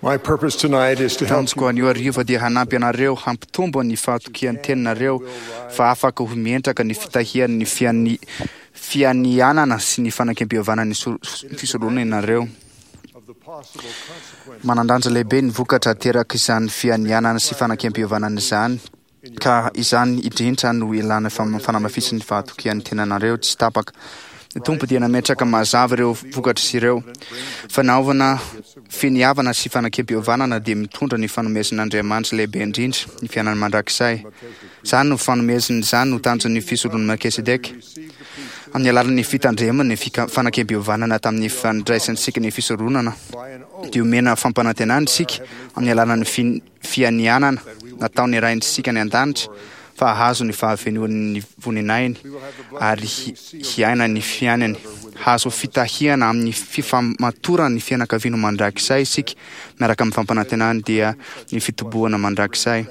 My purpose tonight is to help Tanjoko anio hariva dia hanampy anareo hampitombo ny fahatokian'ny teninareo fa afaka ho mientraka ny fitahian'ny fiani- fianianana sy ny fanekempihavanan'ny so- fisorohana ianareo. of the possible consequences Manan-danja lehibe ny vokatra aterak'izany fianianana sy fanekempihavanana izany, ka izany indrindra no ilàna fam- fanamafisan'ny fahatokian'ny tenanareo tsy tapaka. Ny Tompo dia nametraka mazava ireo vokatr'izy ireo. Fanaovana finiavana sy fanekempihavanana dia mitondra ny fanomezan'Andriamanitra lehibe indrindra, ny fiainana mandrakizay. Izany no fanomezana izany no tanjon'ny fisoron'i Melkisedeka. Amin'ny alalan'ny fitandremana ny fika- fanekempihavanana tamin'ny fandraisantsika ny fisoronana, dia omena fampanantenana isika amin'ny alalan'ny fin- fianianana nataon'ny Raintsika any an-danitra fa hahazo ny fahafenoan'ny voninahiny ary hi- hiaina ny fiainany. Hahazo fitahiana amin'ny fifamatoran'ny fianakaviana mandrakizay isika miaraka amin'ny fampanantenany dia ny fitobohana mandrakizay.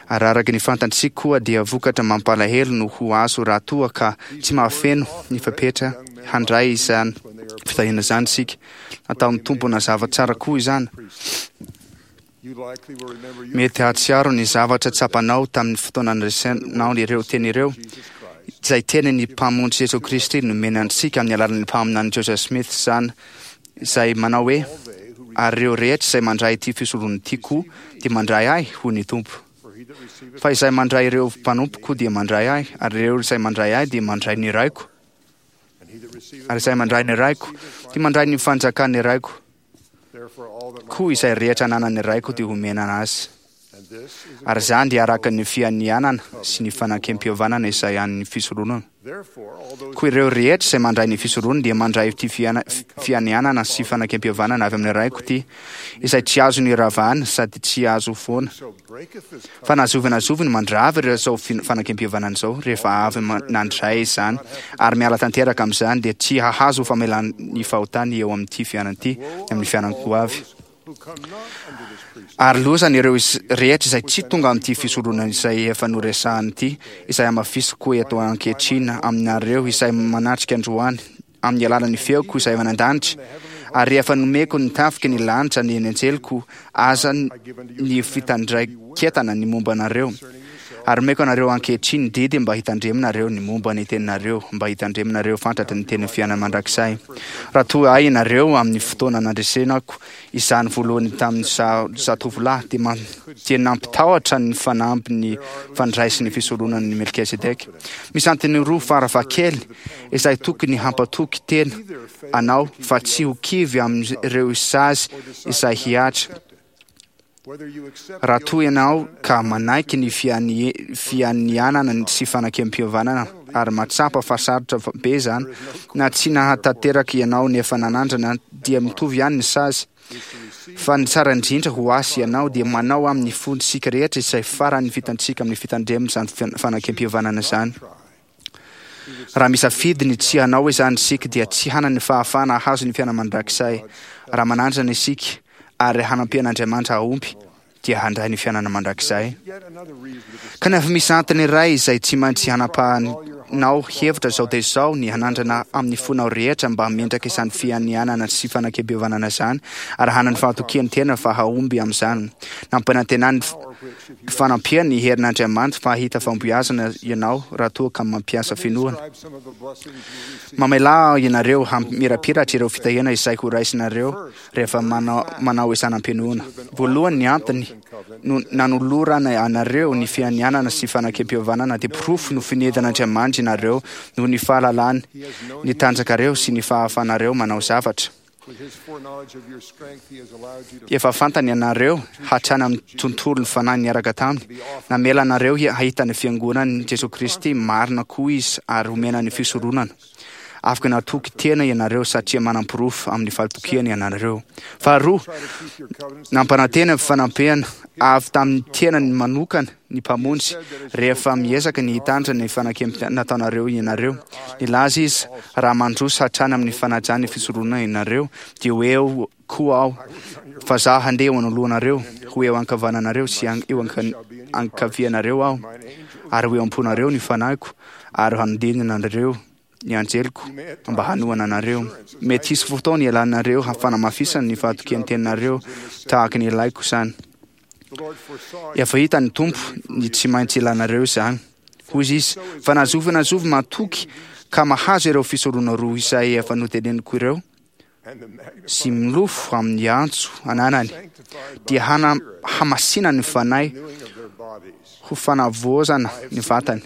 Ary araka ny fantatsika koa dia vokatra mampalahelo no ho azo raha toa ka tsy mahafeno ny fepetra handray izany fitahiana izany isika. Nataon'ny Tompo nazava tsara koa izany. You likely will remember your Mety hahatsiaro ny zavatra tsapanao tamin'ny fotoana nandresenao ireo teny ireo, izay tenin'ny Mpamonjy Jesoa Kristy nomena antsika amin'ny alalan'ny mpaminany Joseph Smith izany, izay manao hoe, ary ireo rehetra izay mandray ity fisoronana ity koa dia mandray ahy, hoy ny Tompo. for he that receiveth Fa izay mandray ireo mpanompoko dia mandray ahy, ary ireo izay mandray ahy dia mandray ny Raiko, and he that receiveth ary izay mandray ny Raiko dia mandray ny fanjakan'ny Raiko. therefore all that my Koa izay rehetra ananan'ny Raiko dia homena azy. and this is Ary izany dia araka ny fianianana sy ny fanekempihavanana izay an'ny fisoronana. therefore all those Koa ireo rehetra izay mandray ny fisoronana dia mandray ity fiana- fianianana sy fanekempihavanana avy amin'ny Raiko ity, izay tsy azo niravana sady tsy azo foana. so breaketh this Fa na zovy na zovy no mandrava ireo izao fin- fanekempihavanana izao rehefa avy ma- nandray izany ary miala tanteraka amin'izany dia tsy hahazo famelan'ny fahotany eo amin'ity fiainana ity amin'ny fiainana ho avy. who come not under this priesthood Ary lozany ireo iz- rehetra izay tsy tonga amin'ity fisoronana izay efa noresahana ity, izay hamafisiko eto ankehitriny aminareo izay manatrika androany amin'ny alalan'ny feoko izay avy any an-danitra. Ary rehefa nomeko ny tafiky ny lanitra ny anjeliko, aza ny fitandraiketana ny momba anareo. Ary omeko anareo ankehitriny ny didy mba hitandreminareo ny momba ny teninareo, mba hitandreminareo fantatra ny tenin'ny fiainana mandrakizay. Raha toa ahy ianareo amin'ny fotoana nandresenako izany voalohany tamin'ny za- zatovolahy, dia ma- dia nampitahotra ny fanamby ny fandraisin'ny fisoronan'ny Melkisedeka. Misy antony roa faravakely izay tokony hampatoky tena anao fa tsy ho kivy amin'ireo sazy izay hihatra. whether you accept Raha the toa ianao ka manaiky ny fiani- fianianana sy fanekempihavanana ary mahatsapa fa sarotra fa- be izany, na tsy nahatanteraka ianao nefa nanandrana dia mitovy ihany ny sazy. Fa ny tsara indrindra ho azy ianao dia manao amin'ny fontsika rehetra izay farany vitantsika amin'ny fitandremana izany fian- fanekempihavanana izany. Raha misafidy ny tsy hanao izany isika dia tsy hanana ny fahafahana hahazo ny fiainana mandrakizay. Raha manandrana isika ary hanampian'Andriamanitra hahomby dia handray ny fiainana mandrakizay. yet another reason to decide Kanefa misy antony iray izay tsy maintsy hanapahanao hevitra izao dia izao ny hanandrana amin'ny fonao rehetra mba hametraka izany fianianana sy fanekempihavanana izany ary hanana ny fahatokian'ny tena fa hahomby amin'izany. Nampanantenany fanampiany ny herin'Andriamanitra fa hahita fahombiazana ianao raha toa ka mampiasa finoana. describe some of the blessings you receive Mamelà ianareo hampimirapiratra ireo fitahiana izay ho raisinareo rehefa manao, manao izany am-pinoana. Voalohany ny antony no nanolorana anareo ny fianianana sy fanekempihavanana dia porofo no finedan'Andriamanitra ianareo noho ny fahalalany, ny tanjakareo sy ny fahafahanareo manao zavatra. with his foreknowledge of your strength he has allowed you to Efa fantany ianareo hatrany amin'ny tontolon'ny fanahy niaraka taminy. Namela anareo hi- hahita ny fiangonan'i Jesoa Kristy marina koa izy ary homena ny fisoronana. Afaka natoky tena ianareo satria manam-porofo amin'ny fahatokiana ianareo. Faharoa, try to keep your covenants nampanantena fanampiana avy tamin'ny tenany manokana ny Mpamonjy rehefa miezaka ny hitandrina ny fanekempihavanana nataonareo ianareo. Nilaza izy, raha mandroso hatrany amin'ny fanajana ny fisoronana ianareo, dia ho eo koa aho, fa zaho handeha eo anoloanareo, ho eo ankavananareo sy an- eo anka- ankavianareo aho, ary ho eo am-ponareo ny fanahiko, ary hanodidina anareo ny anjeliko mba hanohana anareo. Mety hisy fotoana ialanareo fanamafisana ny fahatokian'ny teninareo tahaka ny ilaiko izany. Efa hitan'ny Tompo ny tsy maintsy ilanareo izany. Hoy Izy, Fa na zovy na zovy matoky ka mahazo ireo fisorona roa izay efa noteneniko ireo, sy milofo amin'ny antso ananany, dia hana-hamasina ny fanahy ho fanavaozana ny vatany.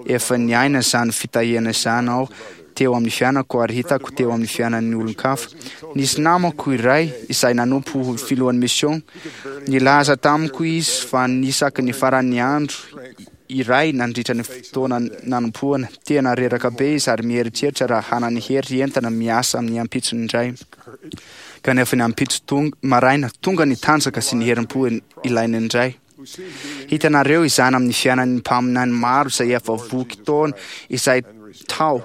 Efa niaina izany fitahiana izany aho teo amin'ny fiainako ary hitako teo amin'ny fiainan'ny olon-kafa. Nisy namako iray izay nanompo ho filohan'ny mission. Nilaza tamiko izy fa nisaky ny faran'ny andro iray nandritra ny fotoana nanompoana, tena reraka be izy ary mieritreritra raha hanana hery entana miasa amin'ny ampitsony indray. Kanefa ny ampitso tonga, maraina, tonga ny tanjaka sy ny herim-po ilainy indray. Hitanareo izany amin'ny fiainan'ny mpaminany maro izay efa voky taona izay tao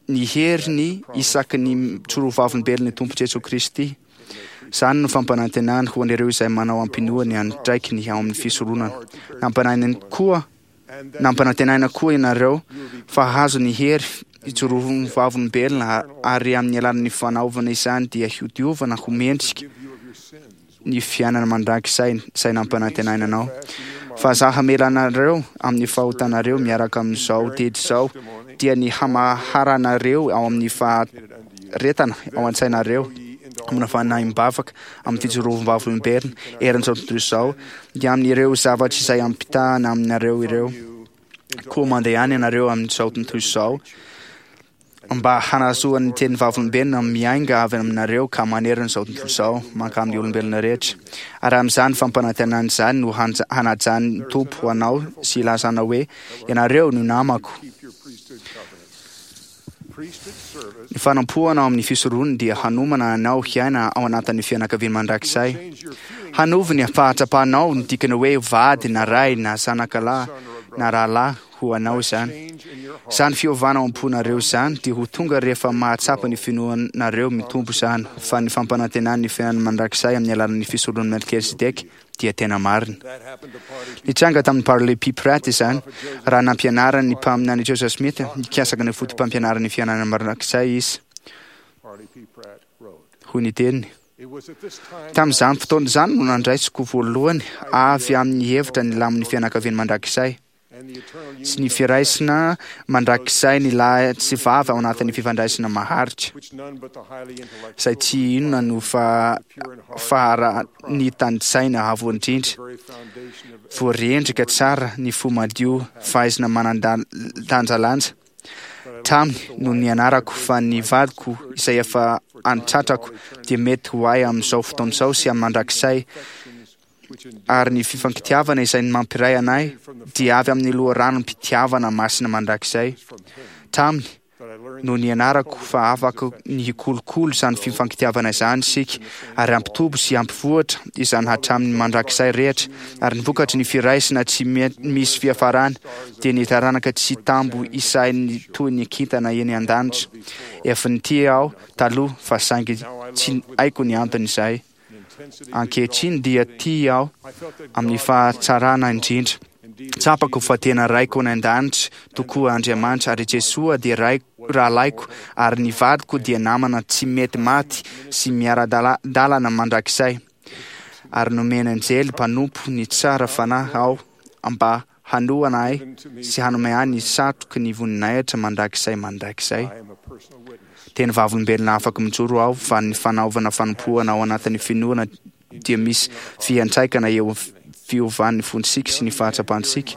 ny heriny isaky ny mijoro ho vavolombelon'ny Tompo Jesoa Kristy. Izany no fampanantenany ho an'ireo izay manao am-pinoa ny andraikiny ao amin'ny fisoronana. Nampanantenaina koa Nampanantenaina koa ianareo fa hahazo ny hery hijoro ho vavolombelona ary amin'ny alalan'ny fanaovana izany dia hodiovana ho mendrika ny fiainana mandrakizay izay nampanantenaina anao. Fa za hamela anareo amin'ny fahotanareo miaraka amin'izao didy izao, dia ny hamaharanareo ao amin'ny faharetana ao an-tsainareo, amina fanahim-bavaka, amin'ny fijoroam-bavolombelona eran'izao tontolo izao, dia amin'ireo zavatra izay ampitahana aminareo ireo. Koa mandehana ianareo amin'izao tontolo izao, mba hanazoan'ny teny vavolombelona miainga avy aminareo ka manerana izao tontolo izao mankamin'ny olombelona rehetra. Ary amin'izany fampanantenana izany no hanajan'ny Tompo anao sy hilazana hoe, Ianareo no namako. Ny fanompoana ao amin'ny fisoronana dia hanomana anao hiaina ao anatin'ny fianakaviana mandrakizay. Hanovo ny fahatsapanao ny dikany hoe vady na ray na zanakalahy na rahalahy ho anao izany. Izany fiovana ao am-ponareo izany dia ho tonga rehefa mahatsapa ny finoanareo mitombo izany fa ny fampanantenan'ny fiainana mandrakizay amin'ny alalan'ny fisoronan'i Melkisedeka dia tena marina. Nitranga tamin'i Parley P. Pratt izany raha nampianaran'ny mpaminany Joseph Smith nikasaka ny fotopampianaran'ny fiainana mandrakizay izy. Hoy ny teniny, Tamin'izany fotoana izany no nandraisiko voalohany avy amin'ny hevitra ny lamin'ny fianakaviany mandrakizay. sy ny firaisana mandrakizay ny lahy sy vavy ao anatin'ny fifandraisana maharitra, izay tsy inona no fa faharanitan-tsaina avo indrindra, voarendrika tsara ny fo madio, fahaizana manan-danjalanja. Taminy no nianarako fa ny vadiko izay efa an-tratrako dia mety ho ahy amin'izao fotoana izao sy amin'ny mandrakizay, ary ny fifankitiavana izay mampiray anay dia avy amin'ny loharanom-pitiavana masina mandrakizay. Taminy no nianarako fa afaka ny hikolokolo izany fifankitiavana izany isika ary hampitobo sy hampivoatra izany hatramin'ny mandrakizay rehetra, ary ny vokatry ny firaisana tsy misy fiafarana dia ny taranaka tsy tambo isain'ny toy ny kintana eny an-danitra. Efa nitia aho taloha fa saingy tsy haiko ny anton'izay. Ankehitriny dia tia aho amin'ny fahatsarana indrindra. Tsapako fa tena Raiko any an-danitra tokoa Andriamanitra ary Jesoa dia Raiko, rahalahiko ary ny vadiko dia namana tsy mety maty sy miara-dalana mandrakizay. Ary nomena anjely mpanompo ny tsara fanahy aho mba hanohana ahy sy hanome ahy ny satroky ny voninahitra mandrakizay mandrakizay. Teny vavolombelona afaka mijoro aho fa ny fanaovana fanompoana ao anatin'ny finoana dia misy fiantraikana eo fiovan'ny fontsika sy ny fahatsapantsika.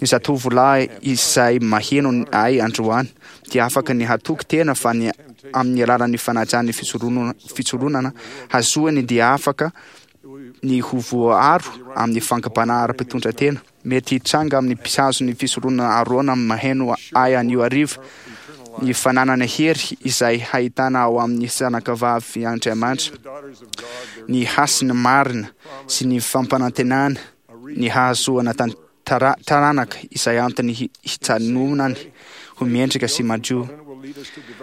Ny zatovolahy izay maheno ahy androany dia afaka ny hatoky tena fa ny amin'ny alalan'ny fanajan'ny fisoronana hazoany dia afaka ny ho voaaro amin'ny fankam-panahy ara-pitondran-tena. Mety hitranga amin'ny mpihazo ny fisoronana Arona maheno ahy anio hariva ny fananana hery izay hahitana ao amin'ny zanakavavy Andriamanitra ny hasiny marina sy ny fampanantenana ny hahazoana taranaka izay antony hijanonany ho mendrika sy madio.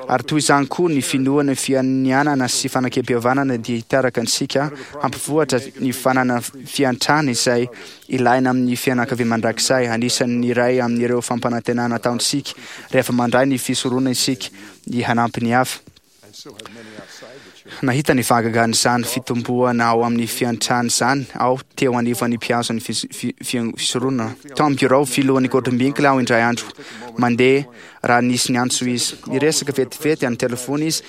Ary toy izany koa ny finoana fianianana sy fanekempihavanana dia hitarika antsika hampivoatra ny fanana fiantrana izay ilaina amin'ny fianakaviana mandrakizay. Anisan'ny iray amin'ireo fampanantenana ataontsika rehefa mandray ny fisoronana isika ny hanampy ny hafa. Nahita ny fahagagan'izany fitomboana ao amin'ny fiantrana izany aho teo anivon'ny mpihazo ny fisoronana. Tao amin'ny birao filohan'ny Gordon B. Hinckley aho indray andro mandeha raha nisy niantso izy. Niresaka vetivety amin'ny telefona izy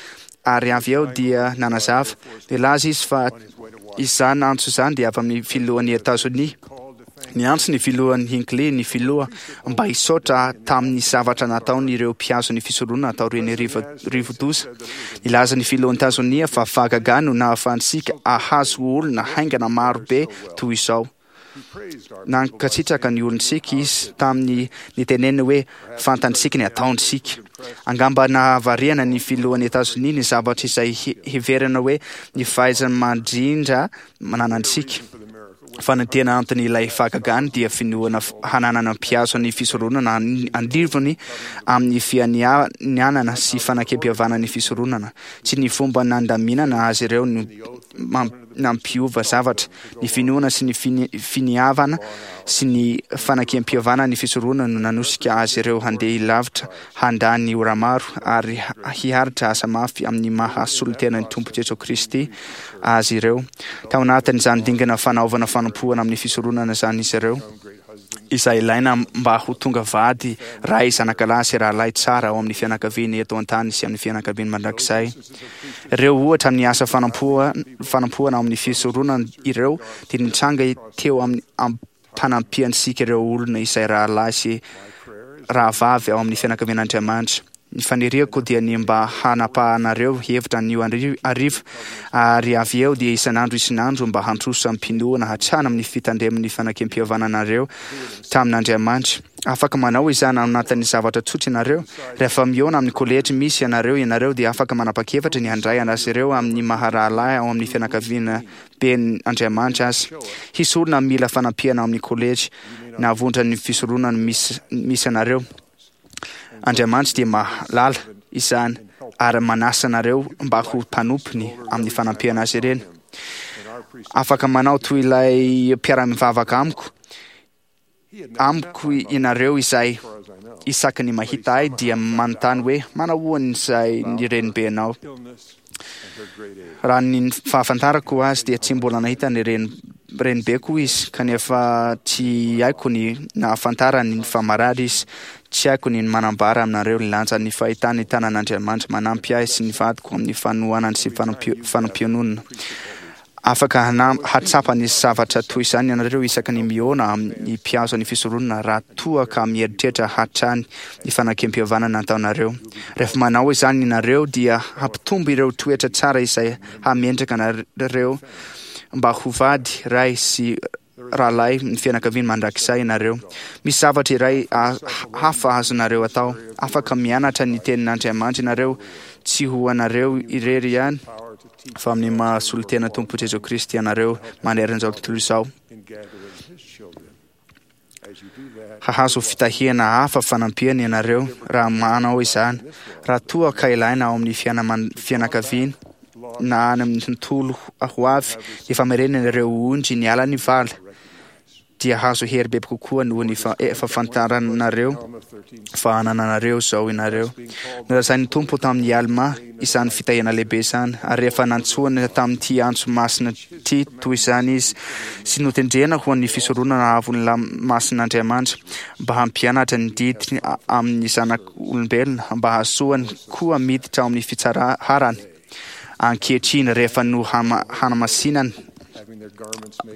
ary avy eo dia nanazava. Nilaza izy fa izany antso izany dia avy amin'ny filohan'i Etazonia. Niantso ny filohan'i Hinckley ny filoha mba hisaotra tamin'ny zavatra nataon'ireo mpihazo ny fisoronana taorian'ny rivodoza. Nilaza ny filohan'i Etazonia fa fahagagana no nahafahantsika hahazo olona haingana maro be toy izao. Nankasitraka ny olontsika izy tamin'ny niteneniny hoe fantantsika ny ataontsika. Angamba nahavariana ny filohan'i Etazonia ny zavatra izay heverina hoe ny fahaiza-mandrindra mananantsika. Fa ny tena anton'ilay fahagagana dia finoana hananana mpihazo ny fisoronana anivony amin'ny fianianana sy fanekempihavanana ny fisoronana. Tsy ny fomba nandaminana azy ireo no nampiova zavatra. Ny finoana sy ny finiavana sy ny fanekempihavanana ny fisoronana no nanosika azy ireo handeha lavitra, handany ora maro ary hiaritra asa mafy amin'ny maha solontenan'ny Tompo Jesoa Kristy azy ireo. Tao anatin'izany dingana fanaovana fanompoana amin'ny fisoronana izany izy ireo, izay ilaina mba ho tonga vady, ray, zanakalahy sy rahalahy tsara ao amin'ny fianakaviany eto an-tany sy amin'ny fianakaviany mandrakizay. Ireo ohatra amin'ny asa fanompoana ao amin'ny fisoronana ireo dia nitranga teo amin'ny ampanampiantsika ireo olona izay rahalahy sy rahavavy ao amin'ny fianakavian'Andriamanitra. Ny faniriako dia ny mba hanapahanareo hevitra anio hariva, ary avy eo dia isan'andro isan'andro mba handroso amim-pinoana hatrany amin'ny fitandreman'ny fanekempihavananareo tamin'Andriamanitra. Afaka manao izany ao anatin'ny zavatra tsotra ianareo. Rehefa mihaona amin'ny kolejy misy anareo ianareo dia afaka manapa-kevitra ny handray azy ireo amin'ny maha rahalahy ao amin'ny fianakaviana ben' Andriamanitra azy. Hisy olona mila fanampiana ao amin'ny kolejy na vondran'ny fisoronana misy anareo. Andriamanitra dia mahalala izany ary manasa anareo mba ho mpanompony amin'ny fanampiana azy ireny. Afaka manao toy ilay mpiara-mivavaka amiko amiko ianareo izay isaky ny mahita ahy dia manontany hoe manahoana izay ny renibenao. Raha ny fahafantarako azy dia tsy mbola nahita ny renibeko izy, kanefa tsy haiko ny nahafantarany fa marary izy. Tsy haiko ny manambara aminareo ny lanjan'ny fahitana ny tanan'Andriamanitra manampy ahy sy ny vadiko amin'ny fanohanany sy fanampiononana. Afaka hahatsapa ny zavatra toy izany ianareo isaky ny mihaona amin'ny mpihazo ny fisoronana raha toa ka mieritreritra hatrany ny fanekempihavanana ataonareo. Rehefa manao izany ianareo dia hampitombo ireo toetra tsara izay hahamendrika anareo mba ho vady, ray sy rahalahy ny fianakaviany mandrakizay ianareo. Misy zavatra iray hafa azonareo atao. Afaka mianatra ny tenin'Andriamanitra ianareo, tsy ho anareo irery ihany, fa amin'ny maha solontena Tompo Jesoa Kristy anareo manerana izao tontolo izao. Hahazo fitahiana hafa fanampiana ianareo raha manao izany, raha toa ka ilaina ao amin'ny fianakaviana na any amin'ny tontolo ho avy ny famerenana ireo ondry niala ny vala, dia hahazo hery bebe kokoa noho ny efa fantaranareo fa anananareo izao ianareo. Nolazain'ny Tompo tamin'i Almà izany fitahiana lehibe izany, ary rehefa nantsoina tamin'ity antso masina ity toy izany izy, sy notendrena ho an'ny fisoronana avon'ny lamasin'Andriamanitra, mba hampianatra ny didiny amin'ny zanak'olombelona, mba hahazoany koa miditra ao amin'ny fitsaharany ankehitriny rehefa nohanamasinana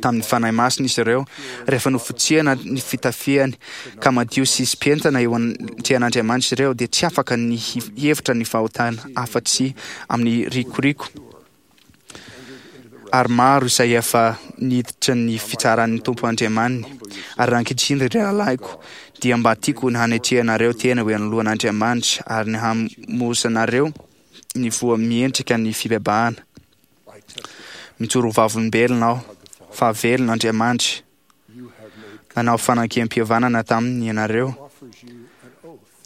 tamin'ny Fanahy Masina izy ireo, rehefa nofotsiana ny fitafiany ka madio sy sy-pientana eo anatrehan'Andriamanitra izy ireo, dia tsy afaka ny hihevitra ny fahotana afa-tsy amin'ny rikoriko. Ary maro izay efa niditra ny fitsaran'ny Tompo Andriamaniny. Ary raha ankehitriny, ry rahalahiko, dia mba tiako ny hanetrehanareo tena eo anoloan'Andriamanitra ary ny hamozanareo ny voa miendrika ny fibebahana. Mijoro ho vavolombelona aho fa velona Andriamanitra. Nanao fanankem-pihavanana taminy ianareo.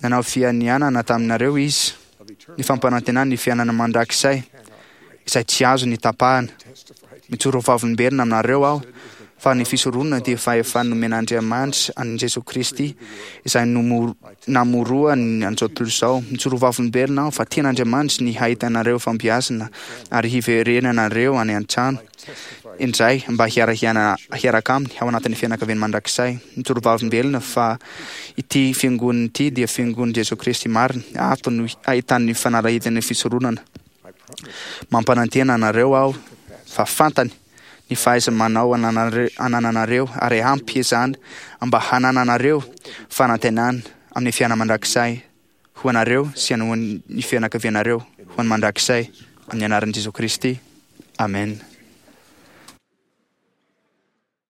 Nanao fianianana taminareo Izy. ny fampanantenany ny fiainana mandrakizay izay tsy azony tapahana. Mijoro ho vavolombelona aminareo aho fa ny fisoronana dia fahefana nomen'Andriamanitra an'i Jesoa Kristy izay namoroany an'izao tontolo izao. Mijoro ho vavolombelona aho fa tian'Andriamanitra ny hahitanareo fampiasana ary hiverenanareo any an-trano indray mba hiara-hiaina hiaraka aminy ao anatin'ny fianakaviany mandrakizay. Mijoro ho vavolombelona fa ity fiangonana ity dia fiangonan'i Jesoa Kristy marina. Ato no ahitan'ny fanalahidin'ny fisoronana. Mampanantena anareo aho fa fantany ny fahaiza-manao anananareo ary ampy izany mba hanananareo fanantenana amin'ny fiainana mandrakizay ho anareo sy ho an'ny fianakavianareo ho an'ny mandrakizay amin'ny anaran'i Jesoa Kristy. Amen.